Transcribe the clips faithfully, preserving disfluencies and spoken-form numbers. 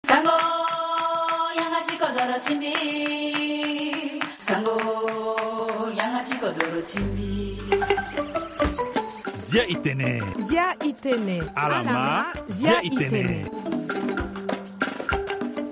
Sango, yanga ti kodoro ti mbi. Sango, yanga ti kodoro ti mbi. Zia itene. Zia itene. Alama, zia itene.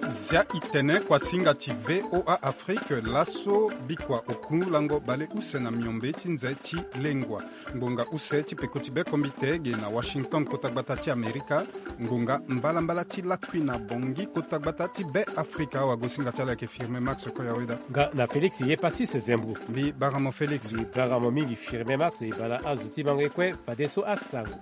Zia itene kuasinga ti V O A Afrique, laso bikua oku lango baleuse na miombe ti nze ti lengua. Ngbonga use ti peko ti be kombite ge na Washington, kota gbata ti Amerika. Ngbonga mbalambala ti lakui na Bongi, kota gbata ti be Afrika. Wagosinga ti ala ayeke Firme Max Koyaweda. Nga na Félix ye Passis Zembou. Mbi bara mo Félix. Mbi bara mo mingi Firme Max, e bala azo ti mango ye kue fadeso asango.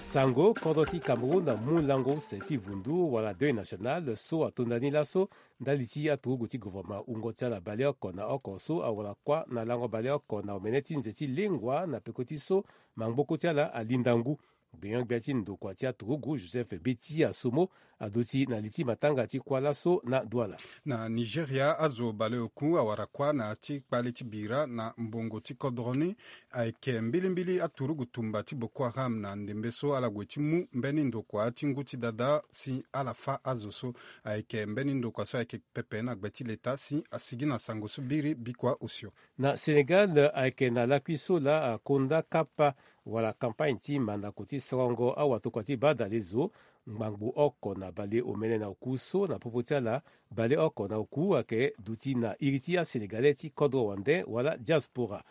Sango, kodro ti Cameroun amu lango use ti vundu wala deuil national so atonda ni laso ndali ti aturugu ti gouvernement wungo ti ala baleoko na oko so awara kuâ na lango baleoko na omene ti nze ti lengua na peko ti so mangboko ti ala alinda ngu. Gbenyo-gbia ti ndokua ti aturugu Joseph Beti Asomo aduti na li ti matanga ti kuâ laso na Douala. Na Nigeria, azo baleoku awara kuâ na ya ti kpale ti bira na mbongo ti kodro ni. Ayeke mbilimbili aturugu tumba ti Boko Haram na ndembe so ala gue ti mu mbeni ndokua ti ngu ti dada si ala fâ azo so. Ayeke mbeni ndokua so ayeke pepe na gbe ti leta si asigi na sango so biri bikua osio. Na Sénégal, ayeke na lakui so laa akonda kapa wala campagne ti mandako ti sorongo awatokua ti badalezo. Ngbangbo oko na baleomene na oku so na popo ti ala baleoko na oku ayeke duti na iri ti aSénégalais ti kodro wande wala diaspora.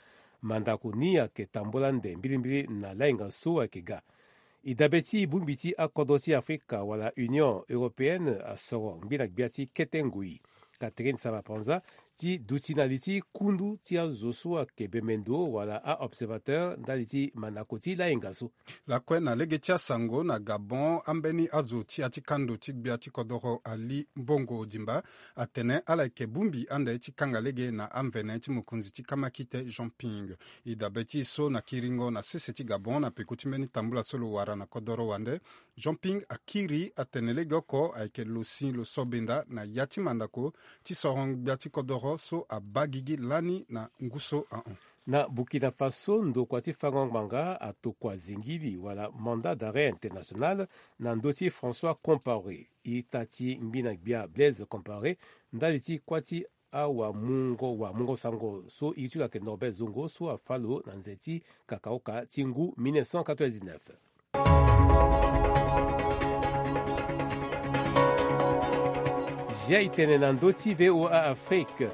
Mandako ni ayeke tambula nde mbilimbili na lainga so ayeke ga. E dabe ti bongbi ti akodro ti Afrika wala Union Européenne asoro ngbi na gbia ti kete ngoi. Catherine Samba-Panza ti duti na li ti kundu ti azo so ayeke bemendo wala a-observateur ndali ti mandako ti lainga so. Lakue na lege ti asango na Gabon, ambeni azo ti ya ti kando ti gbia ti kodoro Ali Bongo Ondimba atene ala yeke bongbi ande ti kanga lege na amvene ti mokonzi ti kamakite Jean Ping. E dabe ti e so na kiringo na sese ti Gabon na peko ti mbeni tambula so lo wara na kodoro wande. Jean Ping akiri atene legeoko ayeke lo si lo so benda na ya ti mandako ti soro gbia ti kodoro so abaa gigi lani na ngu so ahon. Na Burkina Faso, ndokua ti fango ngbanga atokua zingili wala mandat d'arrêt international na ndö ti François Compaoré. Ita ti ngbi na gbia Blaise Compaoré ndali ti kuâ ti awamungo wamungo sango so iri ti lo ayeke Norbert Zongo so afâ lo na nze ti kakaoka ti ngu mille neuf cent quatre-vingt-dix-neuf. Zia e tene na ndö ti V O A Afrique.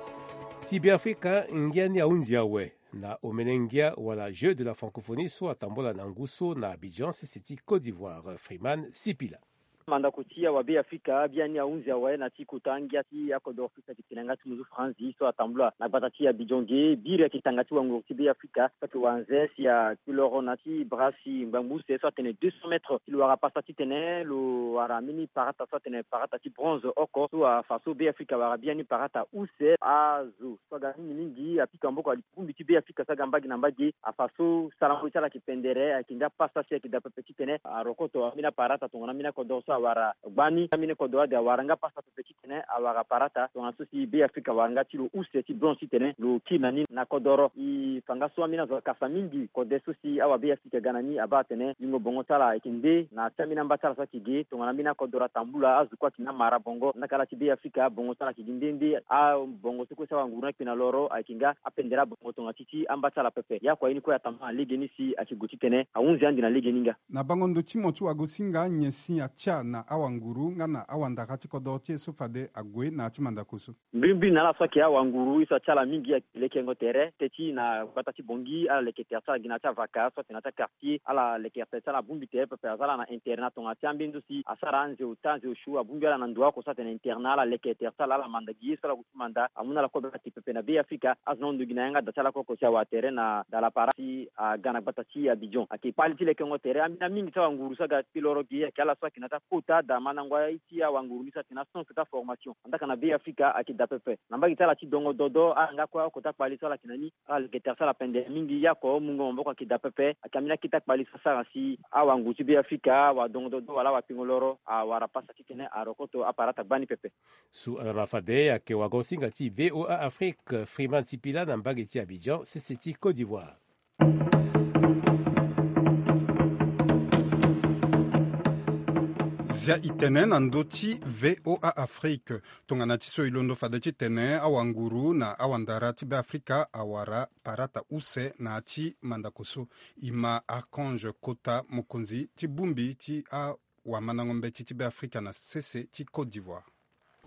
Ti Beafrika ngia ni ahunzi awe na omene ngia wala Jeux de la Francophonie so atambula na ngu so na Abidjan, sese ti Côte d'Ivoire. Freeman Sipila. Mandako ti awabeafrika biani ahunzi awe na ti kota ngia ti akodoro so si ayeke tene yanga ti muzu franzi so atambula na gbata ti Abidjan ge. Biri ayeke tanga ti wanguru ti Beafrika so ayeke wanze si akpi loro na ti bra si ngbangbo use so atene deux cents mètres si lo wara pasa titene lo wara mbeni parata so atene parata ti bronze oko so afa so Beafrika awara biani parata use. Azo so aga mingi mingi apika maboko ali bongbi ti Beafrika so aga mbage na mbage. Afa so sarango ti ala ayeke pendere, ayeke nga pasa si ayeke daa pepe titene arokoto ambeni aparata tongana ambeni akodoro so awara gbani. Ambeni kodoro ade awara nga pasa pepe titene awara parata tongana so si Beafrika awara nga ti lo use ti bronze titene lo kiri na ni na kodoro. E fa nga so ambeni azo akasa mingi kode so si awabeafrika aga na ni abaa atene yingo bongo ti ala ayeke nde na ya ti ambeni amba ti ala so ayeke ge tongana ambeni akodoro atambula azo kue ayeke na mara bongo. Ndaka ala ti Beafrika bongo ti ala ayeke gi nde nde. Abongo so kue si awanguru ni akpe na loro ayeke nga apendere abongo tongana ti ti amba ti ala pepe. Ye akua ye ni kue atambula na legeni si ayeke gue titene ahunzi ande na legeni nga. Na bango ndo ti mo ti wagosinga, nyen si atia na awanguru nga na awandara ti kodoro ti e so fade ague na ya ti mandako so? Mbrimbri na ala so ayeke awanguru ye so atia ala mingi ayeke lekengo tere. Teti na gbata ti Bongi ala leke tere ti ala gi na ya ti avaka so atene na ya ti akartier. Ala leke tere ti ala abongbi tere pepe, aza ala na internat tongana ti ambeni ndo si asara anze ota anze osio abongbi ala na ndo oko so atene internat. Ala leke tere ti ala, ala manda gi ye so ala gue ti manda. Amu na ala kue beka ti pepe na Beafrika. Azo ni ahon ndo gi na yanga da ti ala kue oko si awara tere na Dalapara si aga na gbata ti Abidjan. Ayeke kpali ti lekengo tere. Ambeni amingi ti awanguru so aga kpi loro gi ayeke ala so ayeke na ya ti akota da mandango aye ti awanguru ni so ayeke na science ti aformation. Andaka na Beafrika ayeke daa pepe. Na mbage ti ala ti dongo dodo ala nga kue oko ti akpali so ala yeke na ni. Ala leke tere ti ala pendere mingi. Ye oko mungo maboko ayeke daa pepe. Ayeke ambeni akete akpali so asara si awanguru ti Beafrika awadongo dodo wala awakpengo loro awara pasa titene arokoto aparata gbani pepe. So ala ma fade ayeke wagosinga ti V O A Afrique, Freeman Sipila na mbage ti Abidjan, sese ti Côte d'Ivoire. Zia i tene na ndö ti V O A Afrique. Tongana ti so i londo fade titene awanguru na awandara ti Beafrika awara parata use na ya ti mandako so. I ma Archange Kota, mokonzi ti bongbi ti awamandango mbeti ti Beafrika na sese ti Côte d'Ivoire.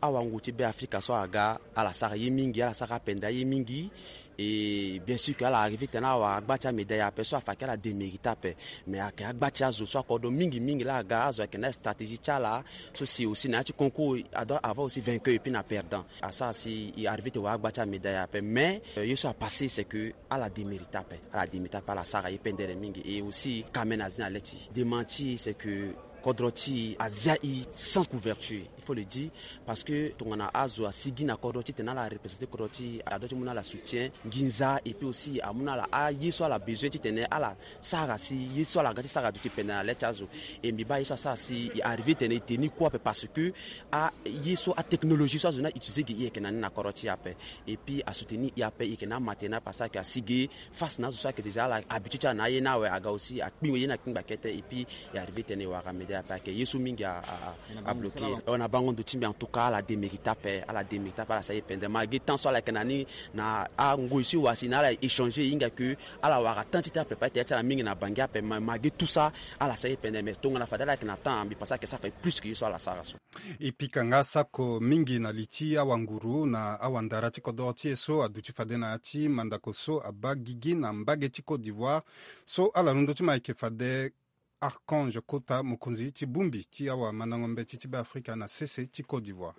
Awangu ti Beafrika so aga, ala sara ye mingi, ala sara apenda ye mingi. Et bien sûr que ala arrivé tene awara agba ti amédaille ape so afa ke ala démérite ape. Mais ayeke agba ti azo so akodro mingi mingi laa aga, azo ayeke na stratégie ti ala. So si aussi na ya ti concours, ado ava aussi vainqueur et puis na perdant. Asara si i arrivé ti wara agba ti amédaille ape. Mais euh, ye so apassé c'est que ala démérite ape, ala démérite ape, ala sara ye pendere mingi. Et aussi ka mene azi na le ti démenti c'est que kodro ti e azia e sans couverture, il faut le dire, parce que tongana azo asigi na kodro titene ala représenter kodro ti e, ado ti mu na ala soutien, nginza, et puis aussi amu na ala aye so ala besoin titene ala sara si ye so ala ga ti sara aduti pendere na le ti azo. Et mbi baa ye so asara si e arrivé titene e tenir compte ape, parce que aye so atechnologie so azo ni a utiliser ge, e yeke na ni na kodro ti e ape. Et puis asoutenir e ape, e yeke na amatériel ni ape, asara ke asigi face na azo so ayeke déjà ala habitué ti ala na aye ni awe, aga aussi akpingo ye ni akpingba kete. Et puis e arrivé titene e wara médaille ape, ayeke ye so mingi a, a, a bloqué. Na bango ndo ti mbi, en tout cas ala démérite ape, ala démérite ape, ala sara ye pendere. Malgré temps so ala yeke na ni na angoi so e wara si na ala échanger, e hinga ke ala wara temps ti tene apréparer tere ti ala mingi na Bangui ape, ma, malgré tout ça ala sara ye pendere. Mais tongana fade ala yeke na temps, mbi pense ayeke sara fade plus que ye so ala sara so. E pika nga sako mingi na li ti awanguru na awandara ti kodoro ti e so aduti fade na ya ti mandako so abaa gigi na mbage ti Côte d'Ivoire. So ala londo ti ma ayeke fade Archange Kota, mokonzi ti bongbi ti awamandango mbeti ti Beafrika na sese ti Côte d'Ivoire.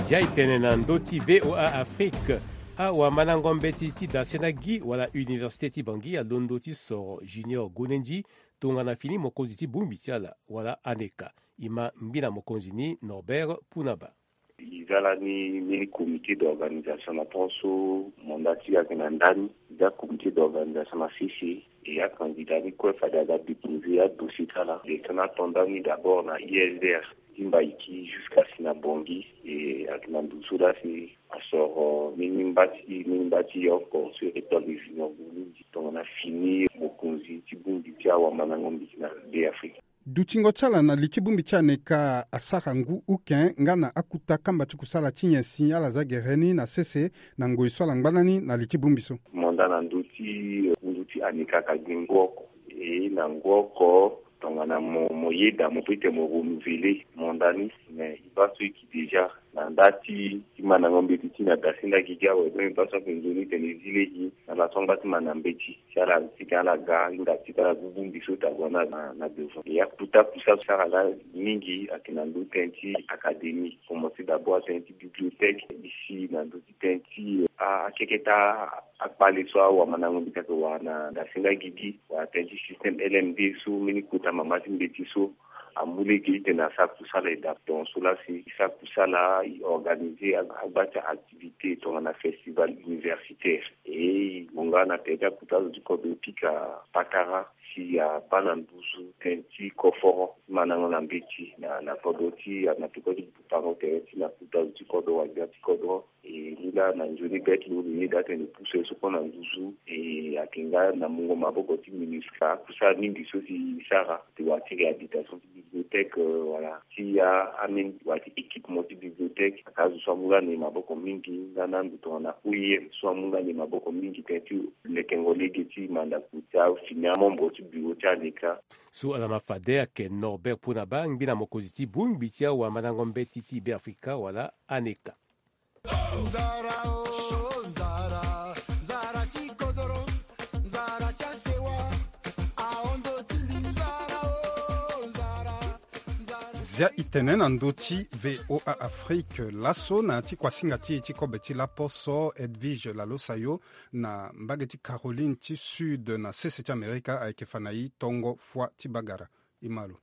Zia e tene na ndö ti V O A Afrique. Awamandango mbeti ti Dasenagi wala Université ti Bangui alondo ti soro Junior Gonendi tongana fini mokonzi ti bongbi ti ala wala ANECA. E ma ngbina mokonzi ni Norbert Punaba. E za lani mbeni comité d'organisation na temps so mandat ti e ayeke na ndani. E za comité d'organisation na sese. E acandidat ni kue fade aga déposer adossier ti ala. E tene ato ndani d'abord na I S D R ti Mbaïki jusqu'à si na Bangui. E ayeke na ndo so laa si asoro mbeni mba ti, mbeni mba ti e oko so e rétorle junior boni tongana fini mokonzi ti bongbi ti awamandango mbeti na Beafrika. Dutingo ti ala na li ti bongbi ti ANECA asara ngu uke nga na akuta kamba ti kusala ti nyen si ala za gere ni na sese na ngoi so ala ngba na ni na li ti bongbi so. Mo nda na ndö ti, eh, ngu ti ANECA ka gi ngu oko. E na ngu oko tongana mo, mo yeda mo peut ti mo renouveler mandat ni, mais e baa so e gi déjà na nda ti, ti mandango mbeti ti e na Dasenagi gi awe, donc e baa so ayeke nzoni tene e zi lege na laso angba ti mandango mbeti. Si ala, si ala ga hinga ti ala gu bongbi so ti ague na, na, na devant. E akuta kusala so ala ga mingi ayeke na ndö tënë ti académie. Commencer d'abord tënë ti bibliothèque, isi na ndö ti tënë ti, ah, akeke ti akpale so awamandango mbeti ayeke wara na Dasenagi gi, wala tënë ti système L M D so mbeni kota mama ti mbeti so amu lege ti tene asara kusala e daa. Donc so laa si e sara kusala e organiser agba ti activité tongana festival universitaire. E e gue nga na tere ti akuta azo ti kodro e pika patara si abaa na nduzu tënë ti koforo ti mandango na mbeti na, na kodro ti, na peko ti butango tere ti na akuta azo ti kodro wala gbia ti kodro. E nilaa na nzoni be ti lo lo yeda atene e pusu ye so kue na nduzu. E ayeke nga na mungo maboko ti MINUSCA akusala mingi so si e sara ti wara ti réhabilitation ti bibliothèque, euh, wala ti a, ameni wala ti équipement ti bibliothèque. Ayeke azo so amu nga na e maboko mingi nga na ando tongana O I M so amu nga na e maboko mingi tënë ti lekengo lege ti mandako ti afini amembre ti bureau ti ANECA. So ala ma fade ayeke Norbert Punaba, ngbina mokonzi ti bongbi ti awamandango mbeti ti Beafrika wala ANECA. Zia e tene na ndö ti V O A Afrique. Laso na ya ti kuasinga ti e ti kobe ti laposo, Edwige Lalosayo, na mbage ti Caroline ti Sud na sese ti Amerika ayeke fa na e tongo fua ti bagara. E ma lo.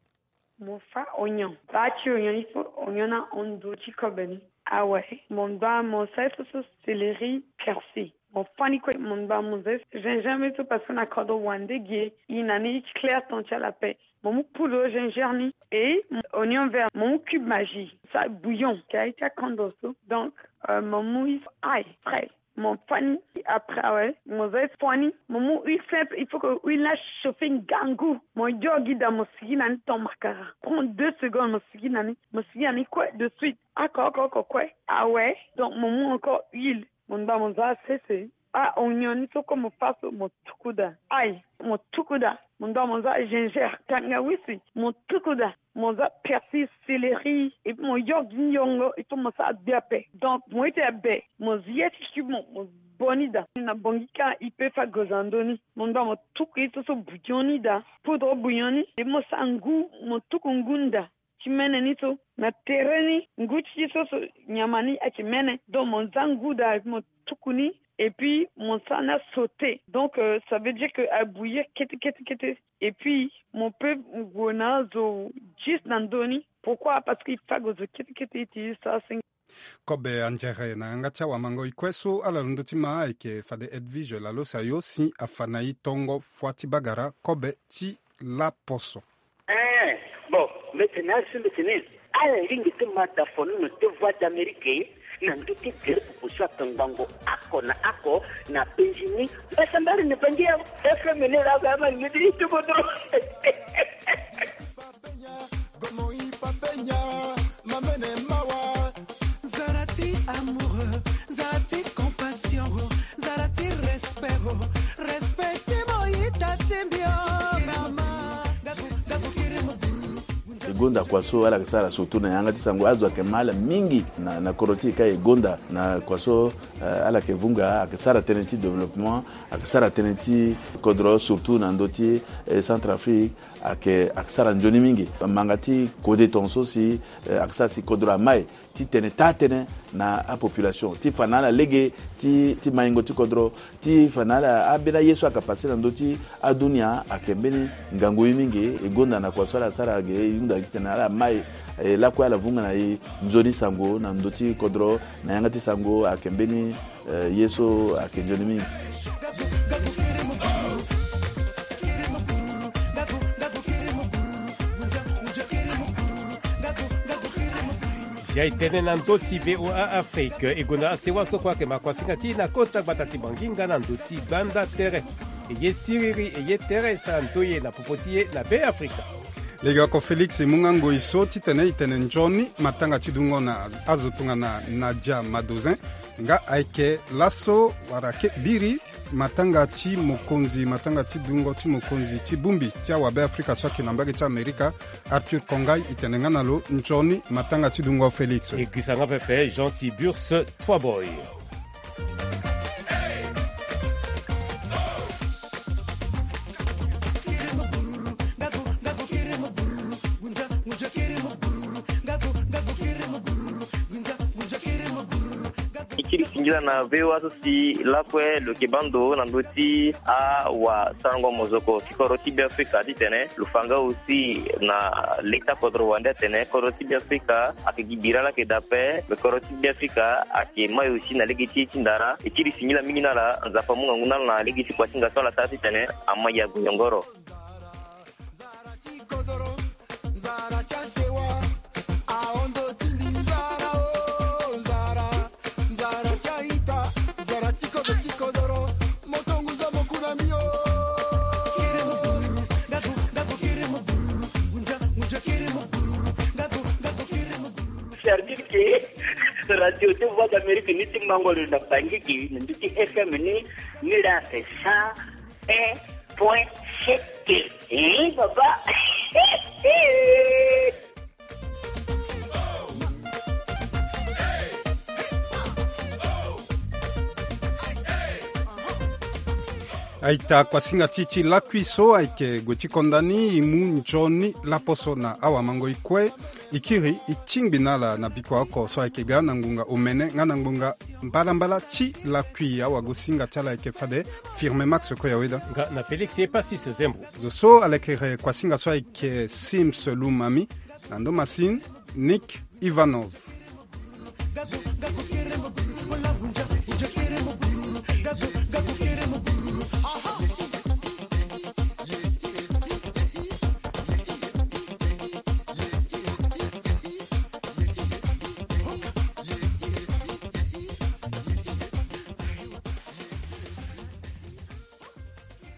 Mo fa onyon. Baa ti onyon ni so, onyon ni ahon ndo ti kobe ni. Awe, mo ngbaa mo sara ye so so céleri, persil. Mo fa ni kue, mo ngbaa mo za ye so gingembre so parce que na kodro wande ge, e na ni ti clair temps ti ala ape. Mo mu poudre gingembre ni, et onyon vert, mo mu cube Maggi, sa bouillon ti aye ti akondo so. Donc, euh, mo mu ye so ail frais. Mo fani. Après awe, mo za fani. Mo mu huile simple, il faut que huile ni achauffé ngangu. Mo yo gi daa, mo sigi na ni tant makara. Prend deux secondes, mo sigi na ni. Mo sigi na ni kue de suite. Oko oko oko kue. Awe. Donc mo mu encore huile. Mo ngba mo za sese. Ah, oignon ni so kue mo fa so, mo tuku daa. Ail, mo tuku daa. Mo ngba mo za gingembre, tangawisi, mo tuku daa. Mo za persil, céleri, et puis mo yo gi yongo, et puis mo sara gbe ape. Donc mo ita be, mo zi ye ti si mo, mo boni daa. Na bongi ka, i pe fa goza ndoni. Mo ngba mo tuku ye so so bouillon ni daa. Poudre bouillon ni, et mo sara ngu, mo tuku ngu ndaa. Ti mene ni so, na tere ni, ngu ti so so, nyama ni ayeke mene. Donc mo za ngu daa, et puis mo tuku ni, et puis mo sara ni asauté. Donc euh, ça veut dire que abouillir kete kete kete. Et puis mo peut gue na azo juste na ndoni. Pourquoi? Parce que il faut azo kete kete iti sa sing. Kobe anzere na yanga ti awamango ikue so ala londo ti ma ayeke fade Edwige Lalosayo si afa na e tongo fua ti bagara kobe ti laposo. Eh, bon, mbi tene asi mbi tene ala lingbi ti ma da fonono ti Voix d'Amérique na ndö ti gere popo so atongbango oko na oko na penzi ni. Mbi sambari na bangi ya F M ni laa, ba ma lingbi ti tuku dro. Zara ti amoureux, zara ti compassion, zara ti respect, respect ti mo ita ti mbi o. Mama, gaku, gaku kiri mo buru. E gonda kua so ala yeke sara surtout na yanga ti sango, azo ayeke ma ala mingi na, na kodro ti e ka e gonda na kua so, eh, ala yeke vunga, ayeke sara tënë ti développement, ayeke sara tënë ti kodro surtout na ndö ti, eh, Centrafrique, ayeke, ayeke sara nzoni mingi. Manga ti kode tongaso si, eh, ayeke sara si kodro amai titene taa tënë na apopulation ti fa na ala lege ti, ti maingo ti kodro, ti fa na ala ambeni aye so ayeke pase na ndö ti adunia ayeke mbeni ngangu ye mingi. E gonda na kua so ala sara ge, e hunda titene ala mai, e lakue ala vunga na e nzoni sango na ndö ti kodro na yanga ti sango ayeke mbeni, eh, ye so ayeke nzoni mingi. Zia e tene na ndö ti V O A Afrique, e gonda asewa so kue ayeke ma kuasinga ti e na kota gbata ti Bangi nga na ndö ti gbanda tere. E ye siriri, e ye tere, e sara ndoye na popo ti e na Be Afrika. Legeoko Félix e mu nga ngoi so titene e tene nzoni matanga ti dungo na azo tongana Nadia Madozin, nga ayeke laso wala ke biri matanga ti mokonzi, matanga ti dungo ti mokonzi ti bongbi ti awabe Afrika so ayeke na mbage ti Amerika, Arthur Kongai, e tene nga na lo nzoni matanga ti dungo Félix. E girisa nga pepe Jean Tiburce Trois Boy. E kiri singila na V O A so si lakue lo yeke baa ndo na ndö ti awasarango mozoko ti kodro ti Be Afrika titene lo fa nga aussi na leta kodro wande atene kodro ti Be Afrika ayeke gi bira laa ayeke daa ape, me kodro ti Be Afrika ayeke mai aussi na lege ti ye ti ndara. E kiri singila mingi na ala, Nzapa amu ngangu na ala na lege ti kuasinga so ala sara titene amai ague yongoro. Nzara ti kodoro, nzara ti asewa, ahondo ti mbi nzara o, nzara, nzara ti a-ita, nzara ti kodro ti kodoro, moto ngu zo mo ku na mbi o. Service ke radio ti Voix d'Amérique ni ti mango lo na Bangi ke na ndö ti F M ni, ni la c'est ça. Un point sept. Hein, papa. Aita, kuasinga ti e ti lakui so ayeke gue ti konda ni, e mu nzoni laposo na awamangoi kue. E kiri e tingbi na ala na bikua oko so ayeke ga na ngbonga omene nga na ngbonga mbalambala ti lakui. Awagosinga ti ala ayeke fade Firme Max Koyaweda. Nga na Félix Epasis Zembo. Zo so alekere kuasinga so ayeke Sims Lumami. Na ndo masini, Nick Ivanov.